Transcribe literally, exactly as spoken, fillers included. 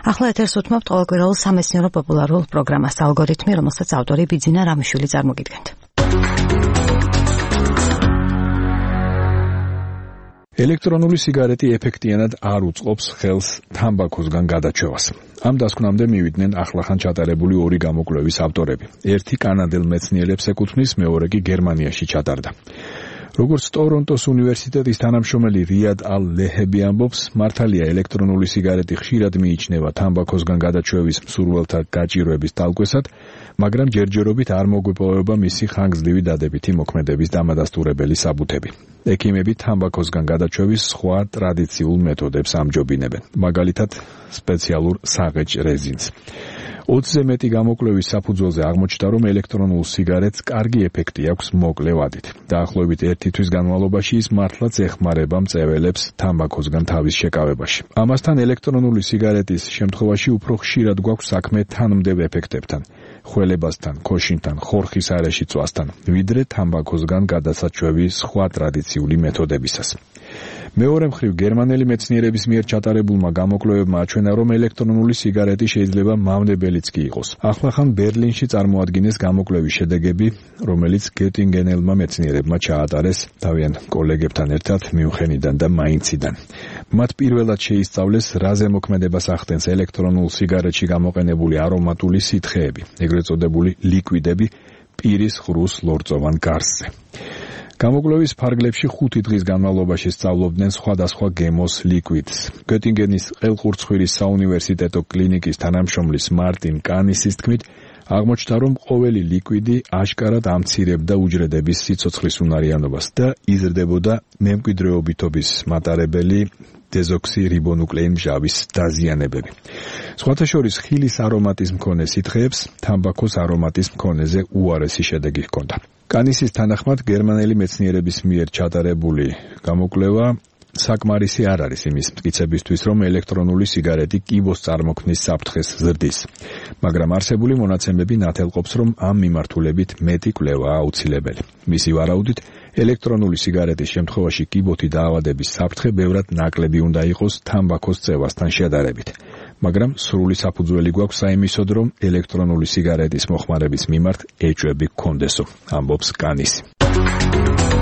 ახლა ეთერს უთმობთ ყოველკვირეულ სამეცნიერო პოპულარულ პროგრამას ალგორითმი, რომელსაც ავტორი ბიძინა რამიშვილი წარმოგიდგენთ. ელექტრონული სიგარეტი ეფექტიანად არ უწყობს ხელს თამბაქოსგან გადაჩევას. ამ დასკვნამდე მივიდნენ ახლახან ჩატარებული ორი გამოკვლევის ავტორები. ერთი კანადელ მეცნიერებს ეკუთვნის, მეორე კი გერმანიაში ჩატარდა. როგორც ტორონტოს უნივერსიტეტის თანამშრომელი რიად ალ-ლეჰები ამბობს, მართალია ელექტრონული სიგარეტი ხშირად მიიჩნევა თამბაქოსგან გადაჩევის მსურველთა გაჭირვების თალკვესად, მაგრამ ჯერჯერობით არ მოგვეპოვება მისი ხანგრძლივი დადებითი მოქმედების დამადასტურებელი საბუთები. ექიმები თამბაქოსგან გადაჩევის სხვა ტრადიციულ მეთოდებს ამჯობინებენ, მაგალითად სპეციალურ საღეჭ რეზინს. ოცზე მეტი გამოკვლევის საფუძველზე აღმოჩნდა, რომ ელექტრონულ სიგარეტს კარგი ეფექტი აქვს მოკლე ვადით. დაახლოებით ერთი თვის განმავლობაში ის მართლაც ეხმარება მწეველებს თამბაქოსგან თავის შეკავებაში. ამასთან ელექტრონული სიგარეტის შემთხვევაში უფრო ხშირად გვაქვს საქმე თანმდევ ეფექტებთან, ხველებასთან, ქოშინთან, ხორხის არეში წვასთან, ვიდრე თამბაქოსგან გადასაჩვევის სხვა ტრადიციული მეთოდებისას. მეორე მხრივ, გერმანელი მეცნიერების მიერ ჩატარებულმა გამოკვლევებმა აჩვენა, რომ ელექტრონული სიგარეტი შეიძლება მავნებელიც კი იყოს. ახლახან ბერლინში წარმოადგინეს გამოკვლევის შედეგები, რომელიც გეტინგენელმა მეცნიერებმა ჩაატარეს თავიანთ კოლეგებთან ერთად მიუნხენიდან და მაინციდან. მათ პირველად შეისწავლეს, რა ზემოქმედებას ახდენს ელექტრონულ სიგარეტში გამოყენებული არომატული სითხეები, ეგრეთ წოდებული ლიკვიდები პირის ღრუს ლორწოვან გარსზე. გამოკვლევის ფარგლებში ხუთი დღის განმავლობაში სწავლობდნენ სხვადასხვა გემოს ლიკვიდს. გეტინგენის ყელყურცხვირის საუნივერსიტეტო კლინიკის თანამშრომლის მარტინ კანისის თქმით, აღმოჩნდა, რომ ყოველი ლიკვიდი აშკარად ამცირებდა უჯრედების სიცოცხლის უნარიანობას და იზრდებოდა მემკვიდრეობითობის მატარებელი დეზოქსირიბონუკლეინ მჟავის დაზიანებები. სხვათა შორის ხილის არომატის მქონე სითხეებს თამბაქოს არომატის მქონეზე უარესი შედეგი ჰქონდა. კანისის თანახმად, გერმანელი მეცნიერების მიერ ჩატარებული გამოკვლევა საკმარისი არ არის იმის მტკიცებისთვის, რომ ელექტრონული სიგარეტი კიბოს წარმოქმნის საფრთხეს ზრდის. მაგრამ არსებული მონაცემები ნათელყოფს, რომ ამ მიმართულებით მეტი კვლევაა აუცილებელი. მისი ვარაუდით, ელექტრონული სიგარეტის შემთხვევაში კიბოთი დაავადების საფრთხე ბევრად ნაკლები უნდა იყოს თამბაქოს წევასთან შედარებით. მაგრამ სრული საფუძველი გვაქვს საიმისოდ, რომ ელექტრონული სიგარეტის მოხმარების მიმართ ეჭვები გქონდესო, ამბობს კანისი.